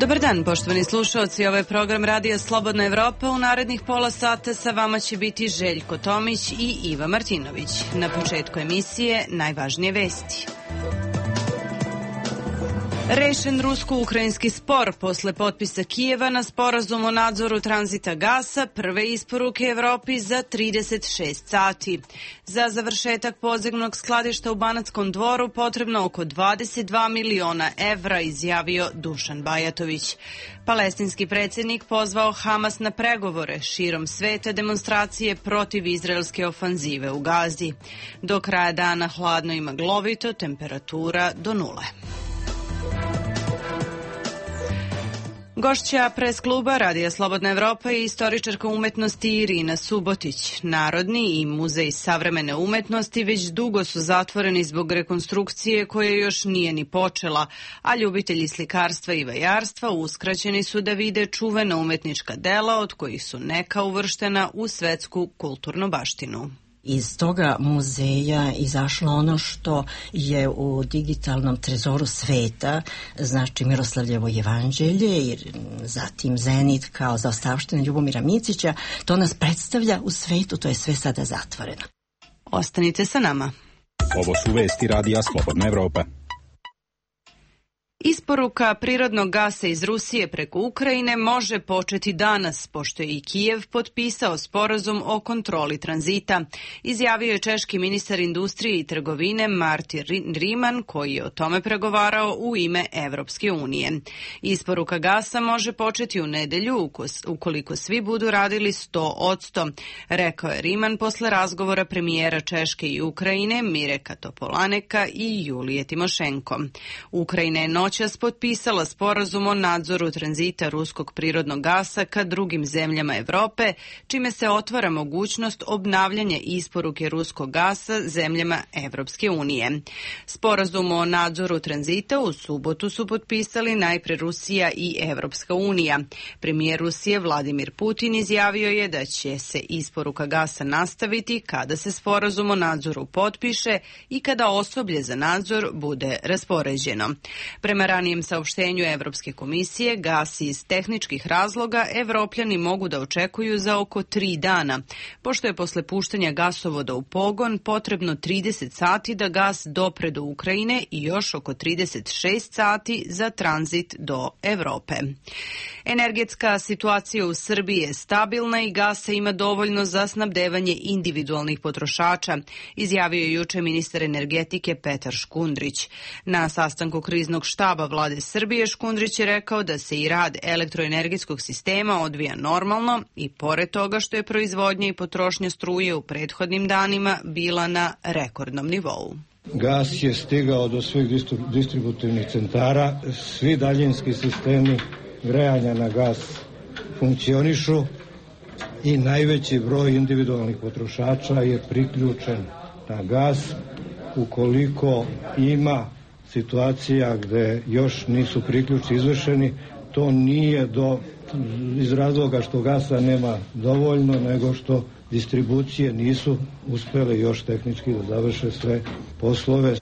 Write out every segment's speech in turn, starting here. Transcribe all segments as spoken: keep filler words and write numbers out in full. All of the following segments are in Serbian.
Dobar dan, poštovani slušalci. Ovo je program Radija Slobodna Evropa. U narednih pola sata sa vama će biti Željko Tomić i Iva Martinović. Na početku emisije najvažnije vesti. Rešen rusko-ukrajinski spor posle potpisa Kijeva na sporazum o nadzoru tranzita gasa, prve isporuke Evropi za trideset šest sati. Za završetak podzemnog skladišta u Banatskom Dvoru potrebno oko dvadeset dva miliona evra, izjavio Dušan Bajatović. Palestinski predsjednik pozvao Hamas na pregovore, širom sveta demonstracije protiv izraelske ofanzive u Gazi. Do kraja dana hladno i maglovito, temperatura do nule. Gošća pres kluba Radija Slobodna Evropa je istoričarka umetnosti Irina Subotić. Narodni i muzej savremene umetnosti već dugo su zatvoreni zbog rekonstrukcije koja još nije ni počela, a ljubitelji slikarstva i vajarstva uskraćeni su da vide čuvena umetnička dela od kojih su neka uvrštena u svetsku kulturnu baštinu. Iz toga muzeja izašlo ono što je u digitalnom trezoru sveta, znači Miroslavljevo jevanđelje i zatim Zenit kao zaostavština Ljubomira Micića. To nas predstavlja u svetu, to je sve sada zatvoreno. Ostanite sa nama. Ovo su vesti Radija Slobodna Evropa. Isporuka prirodnog gasa iz Rusije preko Ukrajine može početi danas, pošto je i Kijev potpisao sporazum o kontroli tranzita, izjavio je češki ministar industrije i trgovine Martin Riman, koji je o tome pregovarao u ime Evropske unije. Isporuka gasa može početi u nedelju ukoliko svi budu radili sto odsto, rekao je Riman posle razgovora premijera Češke i Ukrajine Mireka Topolaneka i Julije Timošenko. Ukrajina je noćas potpisala sporazum o nadzoru tranzita ruskog prirodnog gasa ka drugim zemljama Evrope, čime se otvara mogućnost obnavljanja isporuke ruskog gasa zemljama Evropske unije. Sporazum o nadzoru tranzita u subotu su potpisali najpre Rusija i Evropska unija. Premijer Rusije Vladimir Putin izjavio je da će se isporuka gasa nastaviti kada se sporazum o nadzoru potpiše i kada osoblje za nadzor bude raspoređeno. Prema ranijem saopštenju Evropske komisije, gas iz tehničkih razloga Evropljani mogu da očekuju za oko tri dana, pošto je posle puštanja gasovoda u pogon potrebno trideset sati da gas dopre do Ukrajine i još oko trideset šest sati za tranzit do Evrope. Energetska situacija u Srbiji je stabilna i gasa ima dovoljno za snabdevanje individualnih potrošača, izjavio je juče ministar energetike Petar Škundrić. Na sastanku kriznog štaba vlade Srbije Škundrić je rekao da se i rad elektroenergetskog sistema odvija normalno i pored toga što je proizvodnja i potrošnja struje u prethodnim danima bila na rekordnom nivou. Gas je stigao do svih distributivnih centara, svi daljinski sistemi grejanja na gas funkcionišu i najveći broj individualnih potrošača je priključen na gas. Ukoliko ima situacija gde još nisu priključci izvršeni, to nije do, iz razloga što gasa nema dovoljno, nego što distribucije nisu uspele još tehnički da završe sve poslove,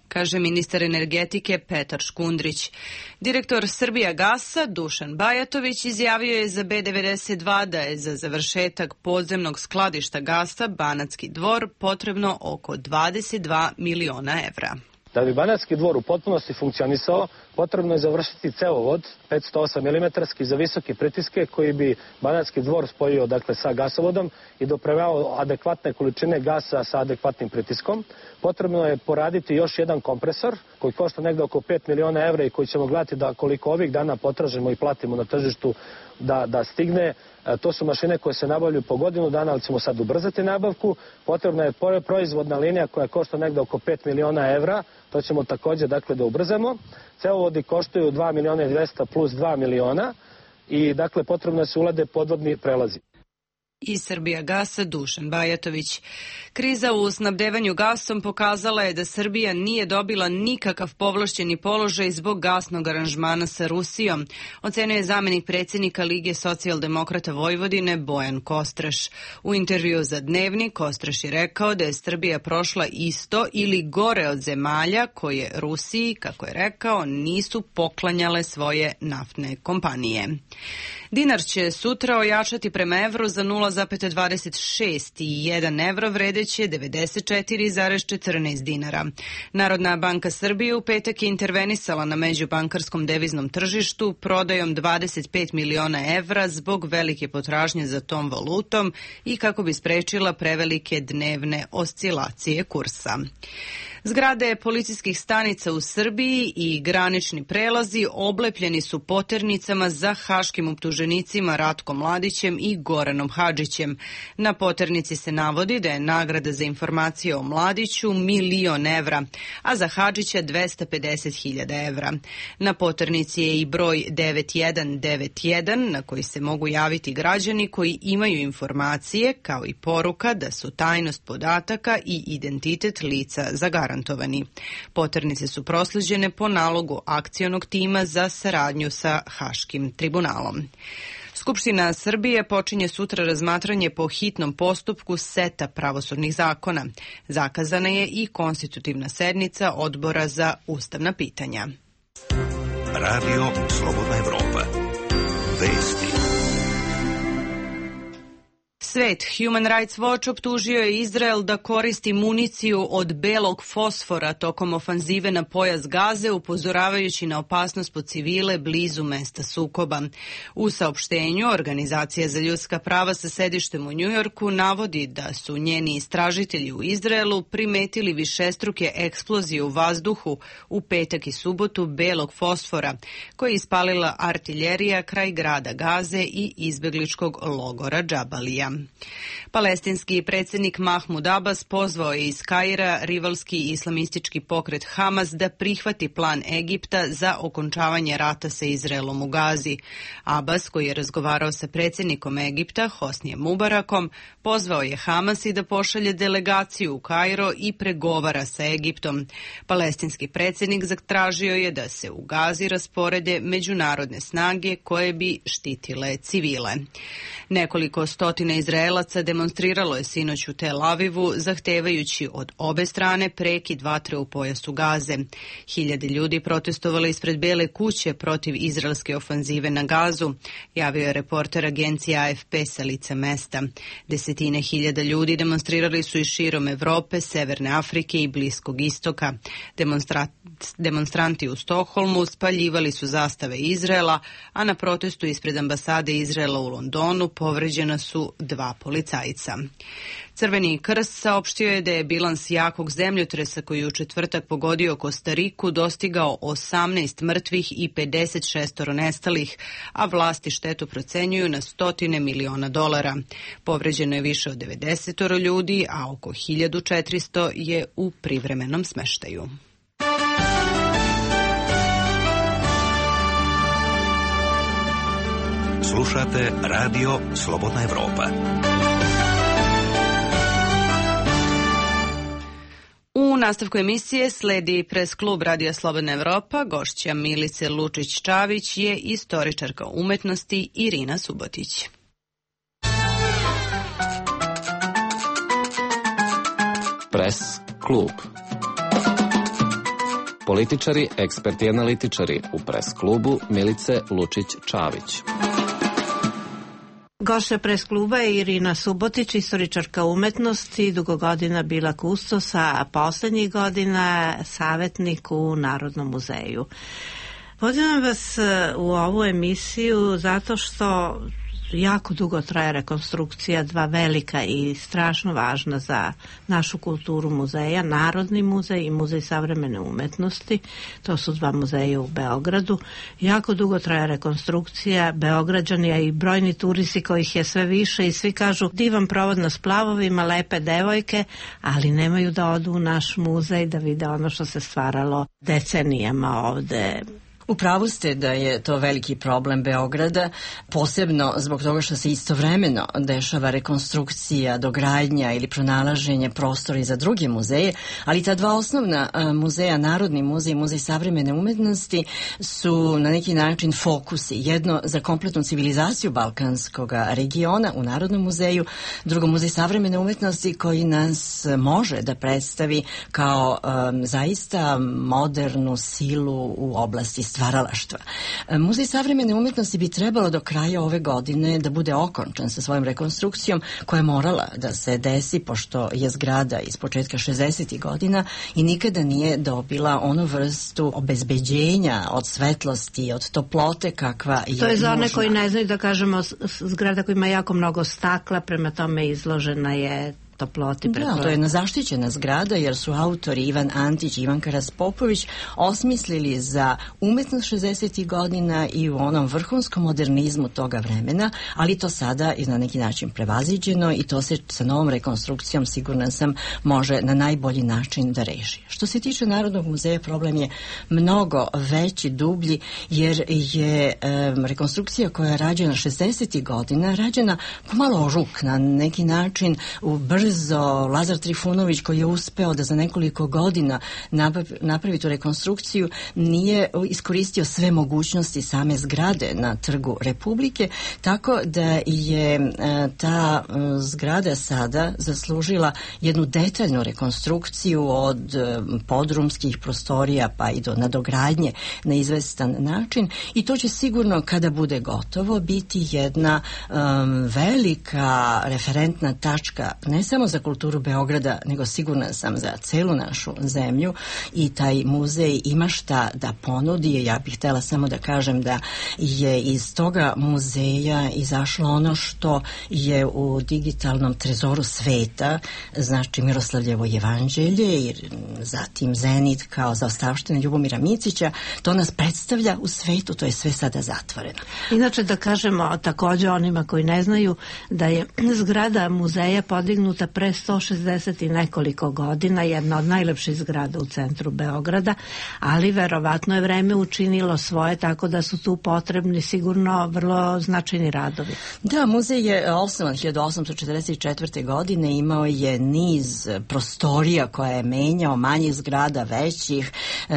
kaže ministar energetike Petar Škundrić. Direktor Srbijagasa Dušan Bajatović izjavio je za B devedeset dva da je za završetak podzemnog skladišta gasa Banatski Dvor potrebno oko dvadeset dva miliona evra. Da bi Banatski Dvor u potpunosti funkcionisao, potrebno je završiti cevovod petsto osam milimetara za visoke pritiske koji bi Banatski Dvor spojio dakle, sa gasovodom i dopremao adekvatne količine gasa sa adekvatnim pritiskom. Potrebno je poraditi još jedan kompresor koji košta negde oko pet miliona evra i koji ćemo gledati da koliko ovih dana potražimo i platimo na tržištu da, da stigne. To su mašine koje se nabavljaju po godinu dana, ali ćemo sad ubrzati nabavku. Potrebna je proizvodna linija koja košta negde oko pet miliona evra. To ćemo također dakle, da ubrzamo. Cevovodi koštaju dva miliona i dvesta plus dva miliona i dakle potrebno je se ulade podvodni prelazi. Iz Srbijagasa Dušan Bajatović. Kriza u snabdevanju gasom pokazala je da Srbija nije dobila nikakav povlašćeni položaj zbog gasnog aranžmana sa Rusijom, ocenio je zamenik predsjednika Lige socijaldemokrata Vojvodine Bojan Kostraš. U intervju za Dnevnik Kostraš je rekao da je Srbija prošla isto ili gore od zemalja koje Rusiji, kako je rekao, nisu poklanjale svoje naftne kompanije. Dinar će sutra ojačati prema evru za nula zarez dvadeset šest i jedan evro vredeće devedeset četiri zarez četrnaest dinara. Narodna banka Srbije u petak je intervenisala na međubankarskom deviznom tržištu prodajom dvadeset pet miliona evra zbog velike potražnje za tom valutom i kako bi sprečila prevelike dnevne oscilacije kursa. Zgrade policijskih stanica u Srbiji i granični prelazi oblepljeni su poternicama za haškim optuženicima Ratkom Mladićem i Goranom Hadžićem. Na poternici se navodi da je nagrada za informacije o Mladiću milion evra, a za Hadžića dvesta pedeset hiljada evra. Na poternici je i broj devet jedan devet jedan na koji se mogu javiti građani koji imaju informacije, kao i poruka da su tajnost podataka i identitet lica zagarantovani. Poternice su prosleđene po nalogu akcionog tima za saradnju sa Haškim tribunalom. Skupština Srbije počinje sutra razmatranje po hitnom postupku seta pravosudnih zakona. Zakazana je i konstitutivna sednica Odbora za ustavna pitanja. Radio Slobodna Evropa. Vesti. Svet, Human Rights Watch optužio je Izrael da koristi municiju od belog fosfora tokom ofanzive na pojas Gaze, upozoravajući na opasnost po civile blizu mesta sukoba. U saopštenju, Organizacija za ljudska prava sa sedištem u Njujorku navodi da su njeni istražitelji u Izraelu primetili višestruke eksplozije u vazduhu u petak i subotu belog fosfora, koje je ispalila artiljerija kraj grada Gaze i izbegličkog logora Džabalija. Palestinski predsjednik Mahmud Abbas pozvao je iz Kaira rivalski islamistički pokret Hamas da prihvati plan Egipta za okončavanje rata sa Izraelom u Gazi. Abbas, koji je razgovarao sa predsjednikom Egipta Hosnijem Mubarakom, pozvao je Hamas i da pošalje delegaciju u Kairo i pregovara sa Egiptom. Palestinski predsjednik zatražio je da se u Gazi rasporede međunarodne snage koje bi štitile civile. Nekoliko stotina Izraelaca demonstriralo je sinoć u Tel Avivu, zahtevajući od obe strane prekid vatre u pojasu Gaze. Hiljade ljudi protestovali ispred Bele kuće protiv izraelske ofanzive na Gazu, javio je reporter agencije A F P sa lica mesta. Desetine hiljada ljudi demonstrirali su i širom Evrope, Severne Afrike i Bliskog istoka. Demonstra... Demonstranti u Stokholmu spaljivali su zastave Izraela, a na protestu ispred ambasade Izraela u Londonu povređena su dva policajca. Crveni krst saopštio je da je bilans jakog zemljotresa koji je u četvrtak pogodio Kostariku dostigao osamnaest mrtvih i pedeset šest nestalih, a vlasti štetu procenjuju na stotine miliona dolara. Povređeno je više od devedeset ljudi, a oko hiljadu četiristo je u privremenom smeštaju. Slušate Radio Slobodna Evropa. U nastavku emisije sledi pres klub Radija Slobodna Evropa. Gošća Milice Lučić-Čavić je istoričarka umetnosti Irina Subotić. Pres klub. Političari, eksperti i analitičari u pres klubu Milice Lučić-Čavić. Gošća pres kluba je Irina Subotić, istoričarka umetnosti, dugo godina bila kustos, a poslednjih godina savjetnik u Narodnom muzeju. Pozivam vas u ovu emisiju zato što jako dugo traje rekonstrukcija dva velika i strašno važna za našu kulturu muzeja, Narodni muzej i Muzej savremene umetnosti. To su dva muzeja u Beogradu. Jako dugo traje rekonstrukcija, Beograđani, a i brojni turisti kojih je sve više i svi kažu divan provod na splavovima, lepe devojke, ali nemaju da odu u naš muzej da vide ono što se stvaralo decenijama ovde U pravu ste da je to veliki problem Beograda, posebno zbog toga što se istovremeno dešava rekonstrukcija, dogradnja ili pronalaženje prostora i za druge muzeje, ali ta dva osnovna muzeja, Narodni muzej i Muzej savremene umetnosti, su na neki način fokusi. Jedno za kompletnu civilizaciju balkanskog regiona u Narodnom muzeju, drugo Muzej savremene umetnosti koji nas može da predstavi kao um, zaista modernu silu u oblasti stvaralaštva. Muzej savremene umetnosti bi trebalo do kraja ove godine da bude okončan sa svojom rekonstrukcijom koja je morala da se desi pošto je zgrada iz početka šezdesetih godina i nikada nije dobila onu vrstu obezbeđenja od svetlosti, od toplote kakva je To je za one nužna. koji ne znaju da kažemo zgrada koja ima jako mnogo stakla, prema tome izložena je toploti. Da, to je jedna zaštićena zgrada jer su autori Ivan Antić i Ivanka Raspopović osmislili za umetnost šezdesetih godina i u onom vrhunskom modernizmu toga vremena, ali to sada je na neki način prevaziđeno i to se sa novom rekonstrukcijom, sigurna sam, može na najbolji način da reši. Što se tiče Narodnog muzeja, problem je mnogo veći, dublji, jer je e, rekonstrukcija koja je rađena šezdesetih godina, rađena pomalo ruk, na neki način u brzo. Lazar Trifunović, koji je uspeo da za nekoliko godina napravi tu rekonstrukciju, nije iskoristio sve mogućnosti same zgrade na Trgu Republike, tako da je ta zgrada sada zaslužila jednu detaljnu rekonstrukciju od podrumskih prostorija pa i do nadogradnje na izvestan način i to će sigurno kada bude gotovo biti jedna um, velika referentna tačka ne samo za kulturu Beograda, nego sigurna sam za celu našu zemlju i taj muzej ima šta da ponudi. Ja bih htela samo da kažem da je iz toga muzeja izašlo ono što je u digitalnom trezoru sveta, znači Miroslavljevo jevanđelje i zatim Zenit kao zaostavština Ljubomira Micića, to nas predstavlja u svetu, to je sve sada zatvoreno. Inače da kažemo takođe onima koji ne znaju da je zgrada muzeja podignuta pre sto šezdeset i nekoliko godina, jedna od najlepših zgrada u centru Beograda, ali verovatno je vreme učinilo svoje, tako da su tu potrebni sigurno vrlo značajni radovi. Da, muzej je osnovan hiljadu osamsto četrdeset četvrte. godine, imao je niz prostorija koje je menjao, manjih zgrada, većih,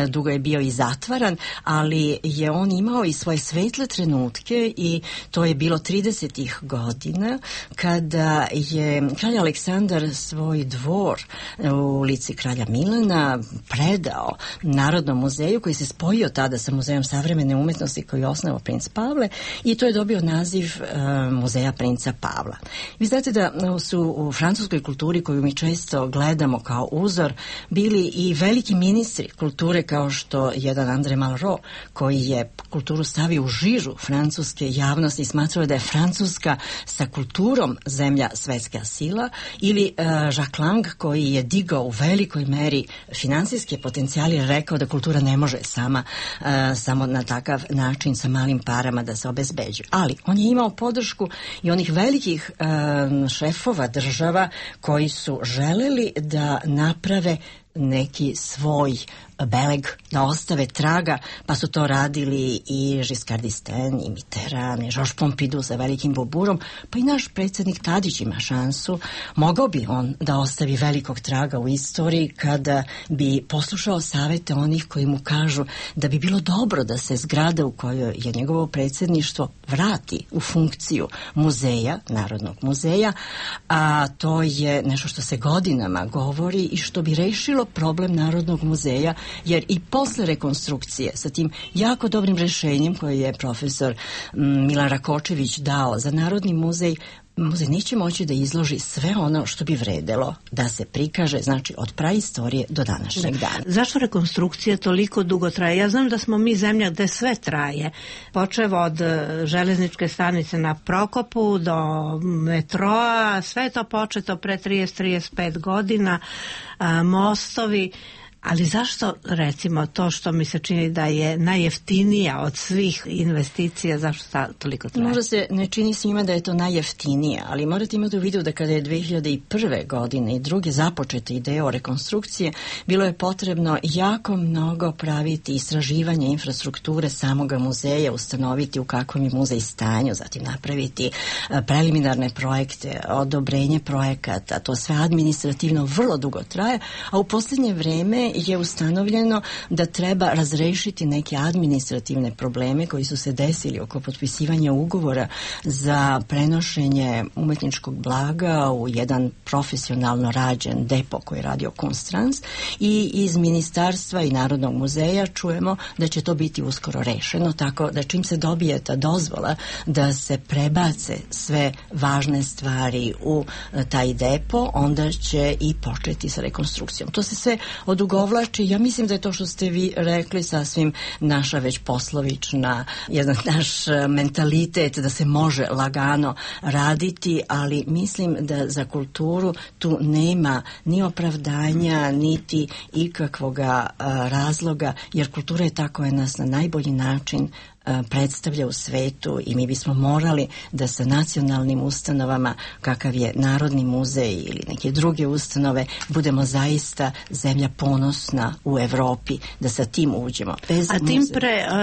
dugo je bio i zatvaran, ali je on imao i svoje svetle trenutke i to je bilo tridesetih godina kada je kralj Aleksandar svoj dvor u ulici Kralja Milana predao Narodnom muzeju koji se spojio tada sa Muzejom savremene umetnosti koji je osnovao princ Pavle i to je dobio naziv uh, Muzeja princa Pavla. Vi znate da su u francuskoj kulturi koju mi često gledamo kao uzor bili i veliki ministri kulture kao što jedan André Malraux koji je kulturu stavio u žižu francuske javnosti i smatrao da je Francuska sa kulturom zemlja svetska sila ili uh, Jacques Lang koji je digao u velikoj meri finansijske potencijale i rekao da kultura ne može sama uh, samo na takav način sa malim parama da se obezbeđuje. Ali on je imao podršku i onih velikih uh, šefova država koji su želeli da naprave neki svoj beleg, da ostave traga, pa su to radili i Giscard d'Estaing, i Mitterrand, i Georges Pompidou sa velikim boburom, pa i naš predsjednik Tadić ima šansu. Mogao bi on da ostavi velikog traga u istoriji kada bi poslušao savete onih koji mu kažu da bi bilo dobro da se zgrada u kojoj je njegovo predsjedništvo vrati u funkciju muzeja, Narodnog muzeja, a to je nešto što se godinama govori i što bi rešilo problem Narodnog muzeja, jer i posle rekonstrukcije sa tim jako dobrim rešenjem koje je profesor Milan Rakočević dao za Narodni muzej, muzej neće moći da izloži sve ono što bi vredelo da se prikaže, znači od praistorije do današnjeg dana. Zašto rekonstrukcija toliko dugo traje? Ja znam da smo mi zemlja gde sve traje, počev od železničke stanice na Prokopu do metroa, sve je to početo pre trideset do trideset pet godina, a, mostovi, Ali zašto, recimo, to što mi se čini da je najjeftinija od svih investicija, zašto ta toliko traje? Možda se ne čini svima da je to najjeftinija, ali morate imati u vidu da kada je dve hiljade prve. godine i druge započete ideje o rekonstrukcije, bilo je potrebno jako mnogo praviti istraživanje infrastrukture samoga muzeja, ustanoviti u kakvom je muzej stanju, zatim napraviti preliminarne projekte, odobrenje projekata, to sve administrativno vrlo dugo traje, a u posljednje vreme je ustanovljeno da treba razrešiti neke administrativne probleme koji su se desili oko potpisivanja ugovora za prenošenje umetničkog blaga u jedan profesionalno rađen depo koji je radio Kunsttrans, i iz ministarstva i Narodnog muzeja čujemo da će to biti uskoro rešeno, tako da čim se dobije ta dozvola da se prebace sve važne stvari u taj depo, onda će i početi sa rekonstrukcijom. To se sve odugovlači. Ja mislim da je to što ste vi rekli sasvim naša već poslovična, jedan naš mentalitet da se može lagano raditi, ali mislim da za kulturu tu nema ni opravdanja, niti ikakvoga razloga, jer kultura je ta koja nas na najbolji način predstavlja u svetu i mi bismo morali da sa nacionalnim ustanovama kakav je Narodni muzej ili neke druge ustanove budemo zaista zemlja ponosna u Evropi, da sa tim uđemo. Bez A tim pre uh,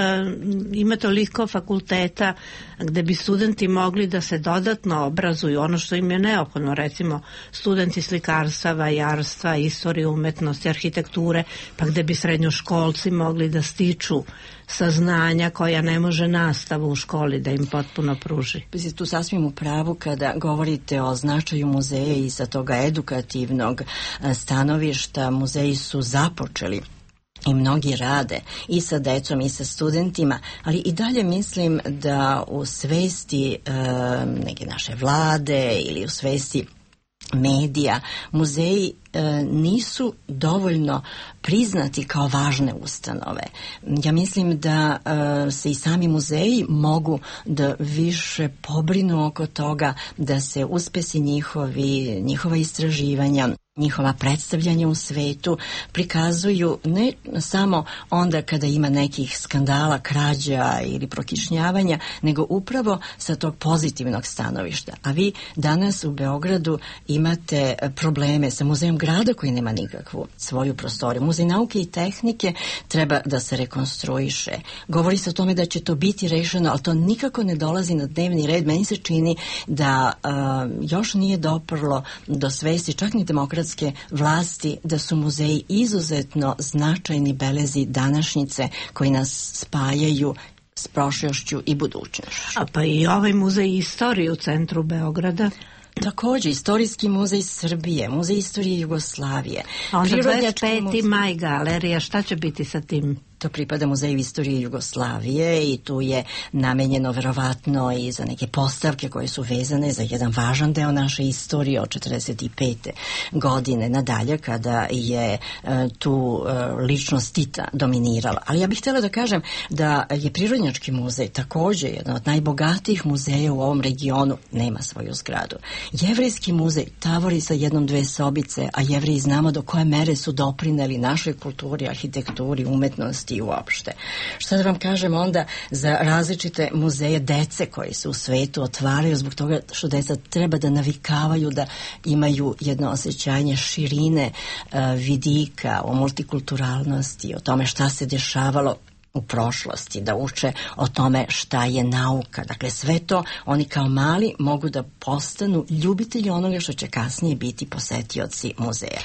ima toliko fakulteta gde bi studenti mogli da se dodatno obrazuju, ono što im je neophodno, recimo studenti slikarstva, vajarstva, istorije umetnosti, arhitekture, pa gde bi srednjoškolci mogli da stiču saznanja koja ne može nastava u školi da im potpuno pruži. Vi ste tu sasvim u pravu kada govorite o značaju muzeja i sa toga edukativnog stanovišta. Muzeji su započeli i mnogi rade i sa decom i sa studentima, ali i dalje mislim da u svesti e, neke naše vlade ili u svesti medija, muzeji e, nisu dovoljno priznati kao važne ustanove. Ja mislim da e, se i sami muzeji mogu da više pobrinu oko toga da se uspesi njihovi, njihova istraživanja, njihova predstavljanja u svetu prikazuju ne samo onda kada ima nekih skandala, krađa ili prokišnjavanja, nego upravo sa tog pozitivnog stanovišta. A vi danas u Beogradu imate probleme sa muzejom grada koji nema nikakvu svoju prostoriju. Muzej nauke i tehnike treba da se rekonstruiše. Govori se o tome da će to biti rešeno, ali to nikako ne dolazi na dnevni red. Meni se čini da uh, još nije doprlo do svesti čak ni demokratske vlasti da su muzeji izuzetno značajni belezi današnjice koji nas spajaju s prošlošću i budućnošću. A pa i ovaj muzej istorije u centru Beograda. Također, Istorijski muzej Srbije, Muzej istorije Jugoslavije. A onda dvadeset peti maj galerija, šta će biti sa tim? To pripada Muzeju istorije Jugoslavije i tu je namenjeno verovatno i za neke postavke koje su vezane za jedan važan deo naše istorije od četrdeset pete godine nadalje kada je e, tu e, ličnost Tita dominirala. Ali ja bih htjela da kažem da je Prirodnjački muzej također jedan od najbogatijih muzeja u ovom regionu, nema svoju zgradu. Jevrejski muzej tavori sa jednom dve sobice, a Jevreji znamo do koje mere su doprineli našoj kulturi, arhitekturi, umetnosti i uopšte. Šta da vam kažem onda za različite muzeje dece koji se u svetu otvaraju zbog toga što deca treba da navikavaju da imaju jedno osjećanje širine uh, vidika o multikulturalnosti, o tome šta se dešavalo u prošlosti, da uče o tome šta je nauka. Dakle, sve to oni kao mali mogu da postanu ljubitelji onoga što će kasnije biti posetioci muzeja.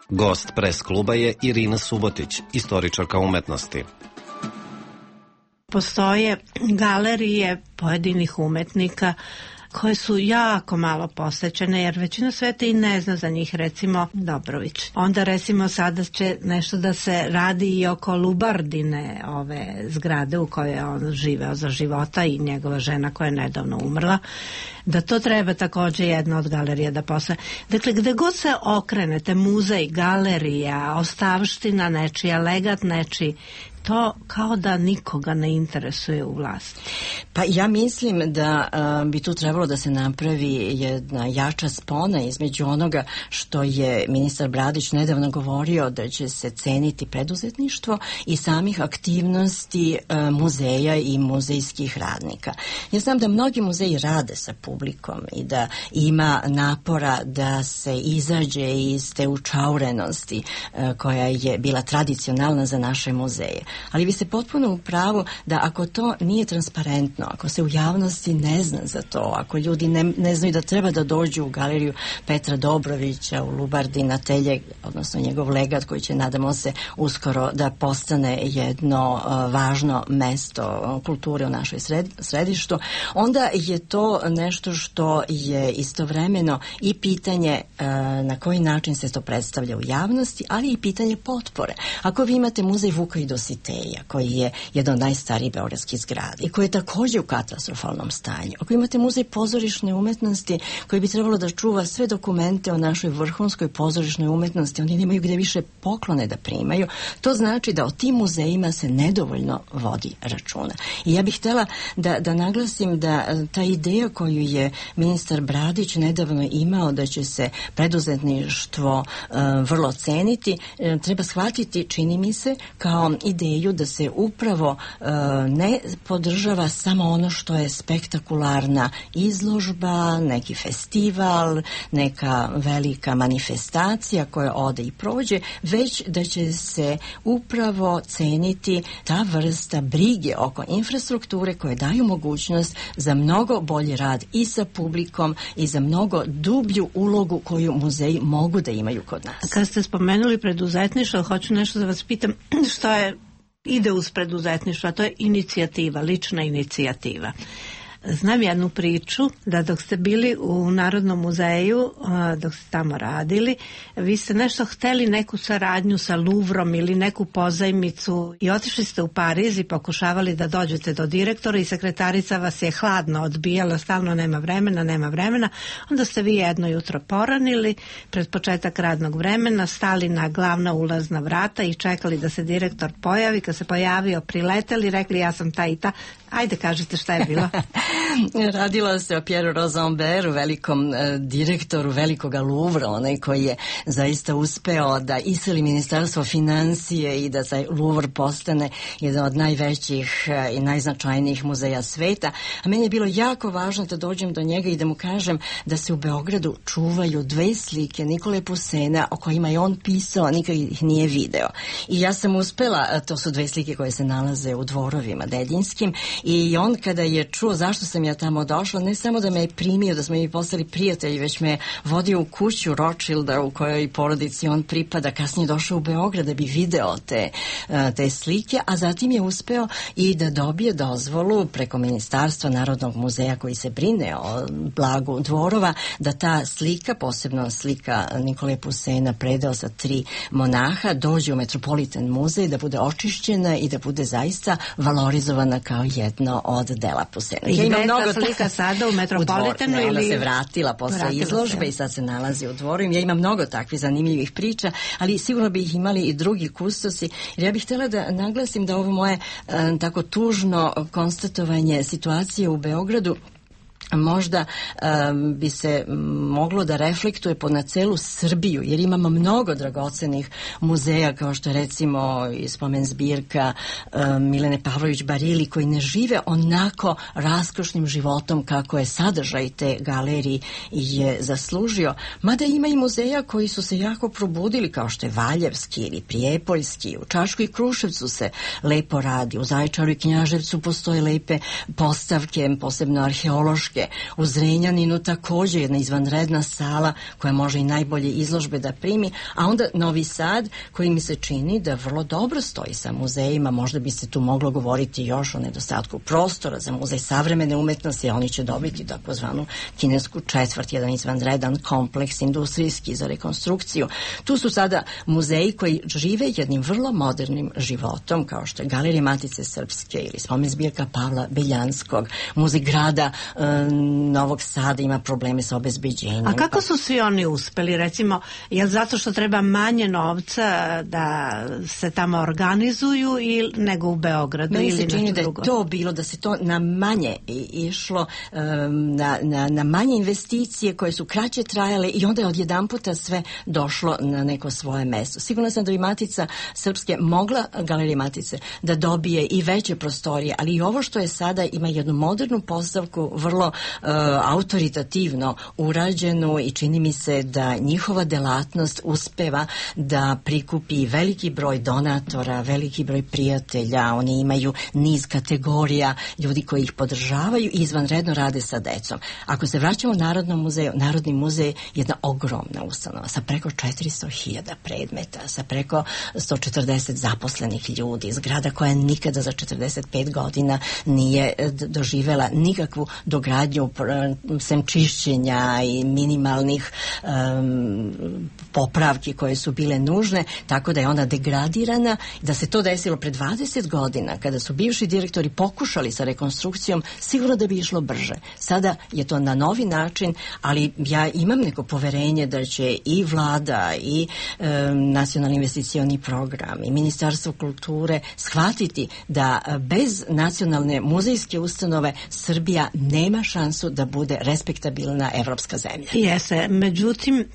Gost pres kluba je Irina Subotić, istoričarka umetnosti. Postoje galerije pojedinih umetnika koje su jako malo posećene, jer većina sveta i ne zna za njih, recimo Dobrović. Onda recimo sada će nešto da se radi i oko Lubardine, ove zgrade u kojoj on živeo za života i njegova žena koja je nedavno umrla, da to treba također jedna od galerija da posle. Dakle, gde god se okrenete, muzej, galerija, ostavština nečija, legat nečiji, to kao da nikoga ne interesuje u vlasti. Pa ja mislim da uh, bi tu trebalo da se napravi jedna jača spona između onoga što je ministar Bradić nedavno govorio da će se ceniti preduzetništvo i samih aktivnosti uh, muzeja i muzejskih radnika. Ja znam da mnogi muzeji rade sa publikom i da ima napora da se izađe iz te učaurenosti uh, koja je bila tradicionalna za naše muzeje. Ali vi ste potpuno u pravu da ako to nije transparentno, ako se u javnosti ne zna za to, ako ljudi ne, ne znaju da treba da dođu u galeriju Petra Dobrovića u Lubardi na Teljeg, odnosno njegov legat koji će, nadamo se, uskoro da postane jedno uh, važno mesto kulture u našoj sred, središtu, onda je to nešto što je istovremeno i pitanje uh, na koji način se to predstavlja u javnosti, ali i pitanje potpore. Ako vi imate muzej Vuka i Dositeja, koji je jedan od najstarijih beogradskih zgrada i koji je također u katastrofalnom stanju, ako imate muzej pozorišne umetnosti koji bi trebalo da čuva sve dokumente o našoj vrhunskoj pozorišnoj umetnosti, oni nemaju gde više poklone da primaju, to znači da o tim muzejima se nedovoljno vodi računa. I ja bih htjela da, da naglasim da ta ideja koju je ministar Bradić nedavno imao da će se preduzetništvo uh, vrlo ceniti, uh, treba shvatiti, čini mi se, kao ideju da se upravo uh, ne podržava samo ono što je spektakularna izložba, neki festival, neka velika manifestacija koja ode i prođe, već da će se upravo ceniti ta vrsta brige oko infrastrukture koje daju mogućnost za mnogo bolji rad i sa publikom i za mnogo dublju ulogu koju muzeji mogu da imaju kod nas. Kad ste spomenuli preduzetništvo, hoću nešto da vas pitam što je ide uz preduzetništvo, a to je inicijativa, lična inicijativa. Znam jednu priču da dok ste bili u Narodnom muzeju, dok ste tamo radili, vi ste nešto hteli neku saradnju sa Louvrom ili neku pozajmicu i otišli ste u Pariz i pokušavali da dođete do direktora i sekretarica vas je hladno odbijala, stalno nema vremena, nema vremena. Onda ste vi jedno jutro poranili pred početak radnog vremena, stali na glavna ulazna vrata i čekali da se direktor pojavi. Kad se pojavio, prileteli, rekli ja sam ta i ta. Ajde, kažite šta je bilo. Radilo se o Pieru Rosamberu, velikom e, direktoru velikoga Louvra, onaj koji je zaista uspeo da iseli ministarstvo financije i da taj Louvre postane jedan od najvećih e, i najznačajnijih muzeja sveta. A meni je bilo jako važno da dođem do njega i da mu kažem da se u Beogradu čuvaju dve slike Nikole Pusena o kojima je on pisao, nikad ih nije video. I ja sam uspela, to su dve slike koje se nalaze u dvorovima Dedinskim, i on kada je čuo zašto sam ja tamo došla, ne samo da me je primio, da smo mi postali prijatelji, već me je vodio u kuću Rothschilda u kojoj porodici on pripada, kasnije došao u Beograd da bi video te, te slike, a zatim je uspeo i da dobije dozvolu preko Ministarstva Narodnog muzeja koji se brine o blagu dvorova, da ta slika, posebno slika Nikole Pusena, predeo sa tri monaha, dođe u Metropolitan muzej, da bude očišćena i da bude zaista valorizovana kao jedno od dela Pusena. I ja imam mnogo slika sada u Metropolitanu ili... Ona se vratila posle vratila izložbe se. I sad se nalazi u dvoru. Ja imam mnogo takvih zanimljivih priča, ali sigurno bi ih imali i drugi kustosi. Jer ja bih htjela da naglasim da ovo moje e, tako tužno konstatovanje situacije u Beogradu možda um, bi se moglo da reflektuje po na celu Srbiju, jer imamo mnogo dragocenih muzeja, kao što je recimo i spomen zbirka um, Milene Pavlović Barili, koji ne žive onako raskošnim životom kako je sadržaj te galerije je zaslužio. Mada ima i muzeja koji su se jako probudili, kao što je Valjevski ili Prijepoljski. U Čačku i Kruševcu se lepo radi, u Zaječaru i Knjaževcu postoje lepe postavke, posebno arheološke. U Zrenjaninu također jedna izvanredna sala koja može i najbolje izložbe da primi, a onda Novi Sad koji mi se čini da vrlo dobro stoji sa muzejima. Možda bi se tu moglo govoriti još o nedostatku prostora za muzej savremene umetnosti, a oni će dobiti takozvanu kinesku četvrt, jedan izvanredan kompleks industrijski za rekonstrukciju. Tu su sada muzeji koji žive jednim vrlo modernim životom, kao što je Galerija Matice Srpske ili spomen zbirka Pavla Beljanskog, muzej grada Novog Sada ima probleme sa obezbeđenjem. A kako su svi oni uspeli? Recimo, je zato što treba manje novca da se tamo organizuju ili nego u Beogradu? Meni ili se čini da je drugo? to bilo, da se to na manje išlo, na, na, na manje investicije koje su kraće trajale i onda je odjedan puta sve došlo na neko svoje mesto. Sigurno sam da bi Matica Srpske mogla, Galerija Matice, da dobije i veće prostorije, ali i ovo što je sada ima jednu modernu postavku, vrlo uh, autoritativno urađenu i čini mi se da njihova delatnost uspeva da prikupi veliki broj donatora, veliki broj prijatelja, oni imaju niz kategorija ljudi koji ih podržavaju i izvanredno rade sa decom. Ako se vraćamo Narodnom muzeju, Narodni muzej je jedna ogromna ustanova sa preko četiristo hiljada predmeta, sa preko sto četrdeset zaposlenih ljudi, zgrada koja nikada za četrdeset pet godina nije doživela nikakvu dogradnju sem čišćenja i minimalnih um, popravki koje su bile nužne, tako da je ona degradirana. Da se to desilo pre dvadeset godina, kada su bivši direktori pokušali sa rekonstrukcijom, sigurno da bi išlo brže. Sada je to na novi način, ali ja imam neko poverenje da će i vlada i um, Nacionalni investicioni program i Ministarstvo kulture shvatiti da bez nacionalne muzejske ustanove Srbija nema šansu da bude respektabilna evropska zemlja. Jeste, međutim,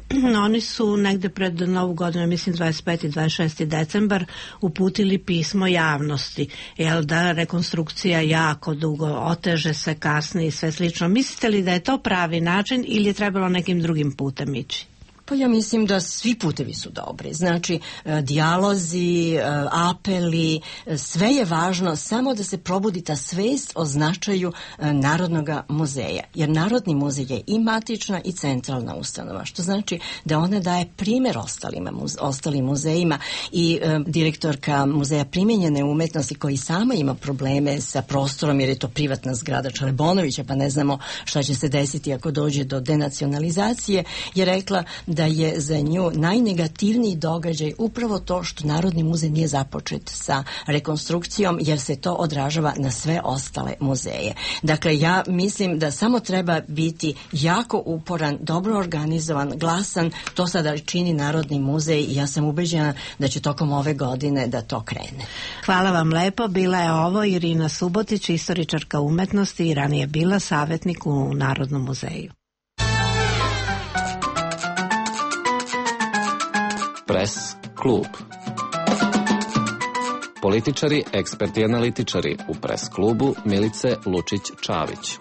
oni su negde pred Novu godinu, mislim dvadeset peti i dvadeset šesti decembar, uputili pismo javnosti, jel da rekonstrukcija jako dugo oteže se, kasni i sve slično. Mislite li da je to pravi način ili je trebalo nekim drugim putem ići? Pa ja mislim da svi putevi su dobri. Znači, dijalozi, apeli, sve je važno samo da se probudi ta svest o značaju Narodnog muzeja. Jer Narodni muzej je i matična i centralna ustanova, što znači da ona daje primjer ostalima, ostalim muzejima i e, direktorka Muzeja primenjene umetnosti koji sama ima probleme sa prostorom jer je to privatna zgrada Čelebonovića, pa ne znamo šta će se desiti ako dođe do denacionalizacije, je rekla da je za nju najnegativniji događaj upravo to što Narodni muzej nije započet sa rekonstrukcijom, jer se to odražava na sve ostale muzeje. Dakle, ja mislim da samo treba biti jako uporan, dobro organizovan, glasan. To sada čini Narodni muzej i ja sam ubeđena da će tokom ove godine da to krene. Hvala vam lepo. Bila je ovo Irina Subotić, istoričarka umetnosti i ranije bila savjetnik u Narodnom muzeju. Pres klub. Političari, eksperti i analitičari u Pres klubu Milice Lučić-Čavić.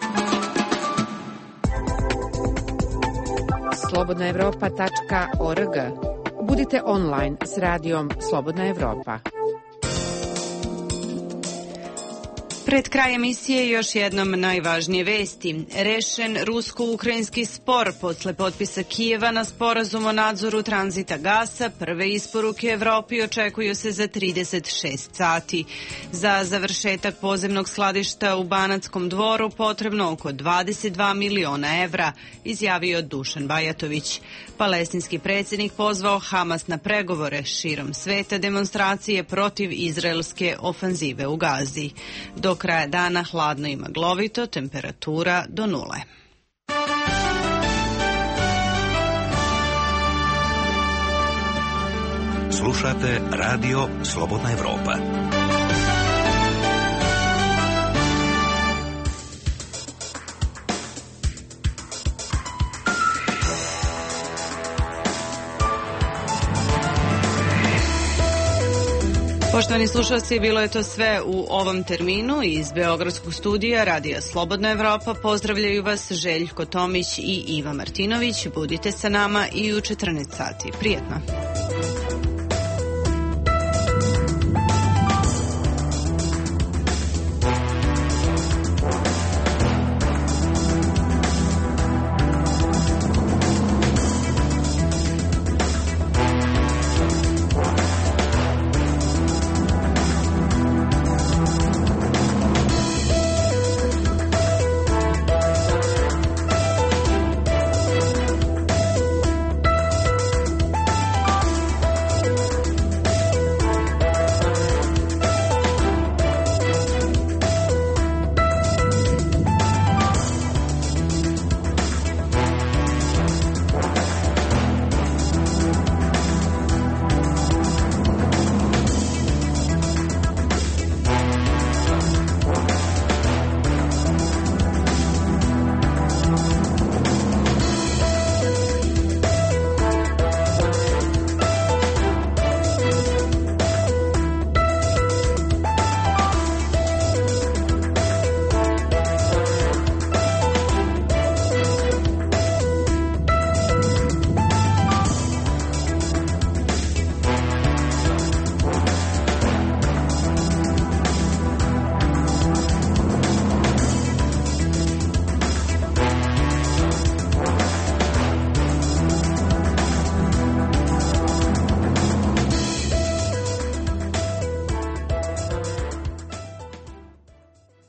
slobodna evropa tačka org. Budite online s radijom Slobodna Evropa. Pred kraj emisije još jednom najvažnije vesti. Rešen rusko-ukrajinski spor posle potpisa Kijeva na sporazum o nadzoru tranzita gasa. Prve isporuke Evropi očekuju se za trideset šest sati. Za završetak podzemnog skladišta u Banatskom Dvoru potrebno oko dvadeset dva miliona evra, izjavio Dušan Bajatović. Palestinski predsjednik pozvao Hamas na pregovore širom sveta, demonstracije protiv izraelske ofanzive u Gazi. Do kraja dana hladno i maglovito, temperatura do nule. Slušate Radio Slobodna Evropa. Poštovani slušalci, bilo je to sve u ovom terminu. Iz Beogradskog studija Radija Slobodna Evropa pozdravljaju vas Željko Tomić i Iva Martinović. Budite sa nama i u četrnaest sati. Prijetno.